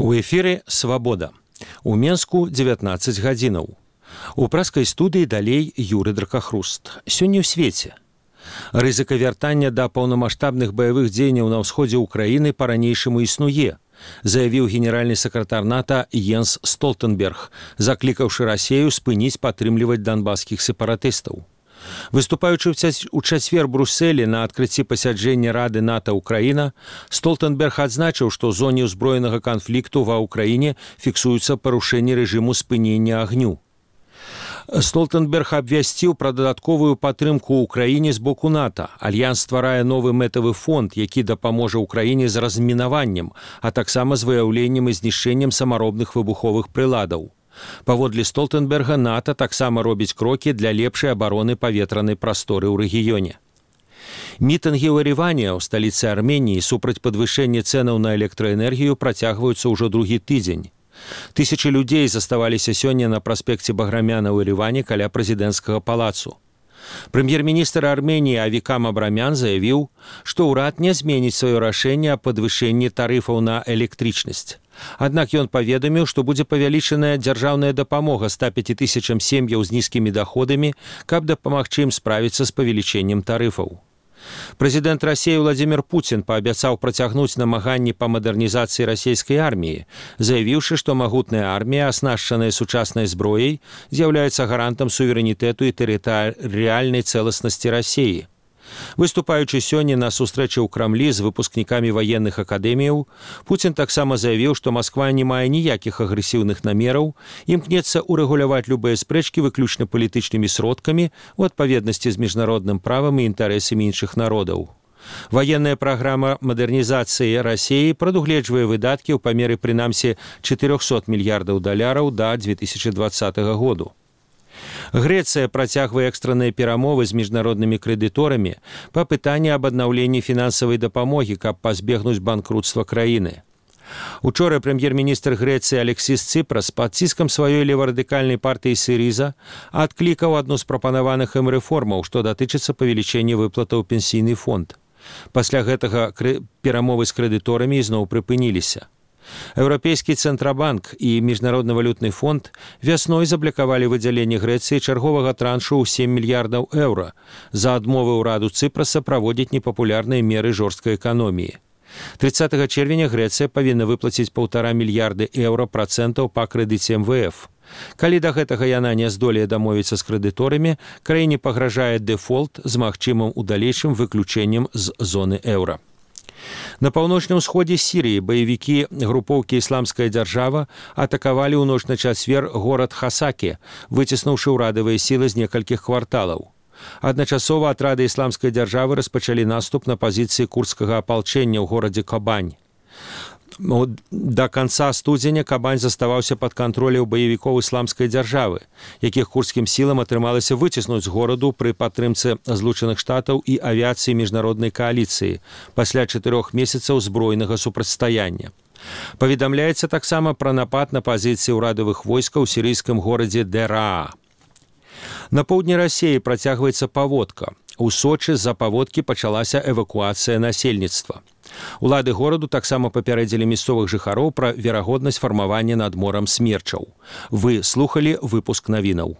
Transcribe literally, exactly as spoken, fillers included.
У эфіры «Свабода». У Менску дзевятнаццаць гадзінаў. У праскай студыі далей Юры Дракахруст. Сёння ў свеце. Рызыка вяртання да паўнамаштабных баявых дзеянняў на ўсходзе ўкраіны па-ранейшаму існуе, заявіў генеральны сакратар НАТО Йенс Столтенберг, заклікаўшы Расею спыніць падтрымліваць донбасскіх сепаратыстаў. Выступаючы ў чацвер Брюсселі на адкрыцці пасяджэння Рады НАТО Украіна, Столтенберг адзначыў, што ў зоне ўзброенага канфлікту ва ўкраіне фіксуюцца парушэнні рэжыму спынення агню. Столтенберг абвясціў пра дадатковую падтрымку ўкраіне з боку НАТО. Альянс стварае новы мэтавы фонд, які дапаможа ўкраіне з размінаваннем, а таксама з выяўленнем і знішчэннем самаробных выбуховых прыладаў. Паводле Столтенберга, НАТО таксама робіць крокі для лепшай абароны паветранай прасторы ў рэгіёне. Мітынгі ў Ереване, ў сталіцы Арменіі, супраць падвышэння цэнаў на электраэнергію працягваюцца ўжо другі тыдзень. Тысячы людзей заставаліся сёння на праспекце Баграмяна ў Ереване каля прэзідэнцкага палацу. Прэм'ер-міністр Арменіі Авикам Абрамян заявіў, што ўрад не зменіць сваё рашэнне аб падвышэнні тарыфаў на электрычнасць. Аднак ён паведаміў, што будзе павялічаная дзяржаўная дапамога ста пяці тысячам сем'яў з нізкімі даходамі, каб дапамагчы ім справіцца з павелічэннем тарыфаў. Прэзідэнт Расеі Владзімір Пуцін паабяцаў працягнуць намаганні па мадэрнізацыі расейскай арміі, заявіўшы, што магутная армія, аснашчаная сучаснай зброяй, з'яўляецца гарантам суверэнітэту і тэрытарыяльнай цэласнасці Расеі. Выступаючы сёння на сустрэчы ў Крамлі з выпускнікамі ваенных акадэміяў, Пуцін таксама заявіў, што Масква не мае ніякіх агрэсіўных намераў, імкнецца ўрэгуляваць любыя спрэчкі выключна палітычнымі сродкамі ў адпаведнасці з міжнародным правам і інтарэсамі іншых народаў. Ваенная праграма мадэрнізацыі Расеі прадугледжвае выдаткі ў памеры прынамсі чатырохсот мільярдаў даляраў да дзве тысячы дваццатага году. Грэцыя працягвае экстранныя перамовы з міжнароднымі крэдыторамі па пытанні аб аднаўленні фінансавай дапамогі, каб пазбегнуць банкрутства краіны. Учора прэм'ер-міністр Грэцыі Алексіс Ципрас пад ціскам сваёй леварадыкальнай партыі Сіріза адклікаў адну з прапанаваных ім рэформаў, што датычыцца павелічэння выплатаў у пенсійны фонд. Пасля гэтага перамовы з крэдыторамі ізноў прыпыніліся. Еўрапейскі цэнтрабанк і міжнародны валютны фонд вясной заблакавалі выдзяленне Грэцыі чарговага траншу ў сем мільярдаў еўра за адмовы ўраду Цыпраса праводзіць непапулярныя меры жорсткай эканоміі. трыццатага чэрвеня Грэцыя павінна выплаціць паўтара мільярды еўра працэнтаў па крэдыце эм вэ эф. Калі да гэтага яна не здолее дамовіцца з крэдыторамі, краіне пагражае дэфолт з магчымым у далейшым выключэннем з зоны еўра. На паўночным усходзе Сірыі баевікі групоўкі «Ісламская дзяржава» атакавалі ў ноч на чацвер горад Хасакі, выціснуўшы ўрадавыя сілы з некалькіх кварталаў. Адначасова атрады «Ісламскай дзяржавы» распачалі наступ на пазіцыі курдскага апалчэння ў горадзе Кабань. Да канца студзеня Кабань заставаўся пад кантролем баевікоў ісламскай дзяржавы, якіх курдскім сілам атрымалася выціснуць з гораду пры падтрымцы Злучаных Штатаў і авіяцыі міжнароднай кааліцыі пасля чатырох месяцаў збройнага супрацьстаяння. Паведамляецца таксама пра напад на пазіцыі ўрадавых войскаў у сірыйскім горадзе Дэраа. На поўдні Расеі працягваецца паводка. У Сочы з-за паводкі пачалася эвакуацыя насельніцтва. Улады гораду таксама папярэдзілі мясцовых жыхароў пра верагоднасць фармавання над морам смерчаў. Вы слухалі выпуск навінаў.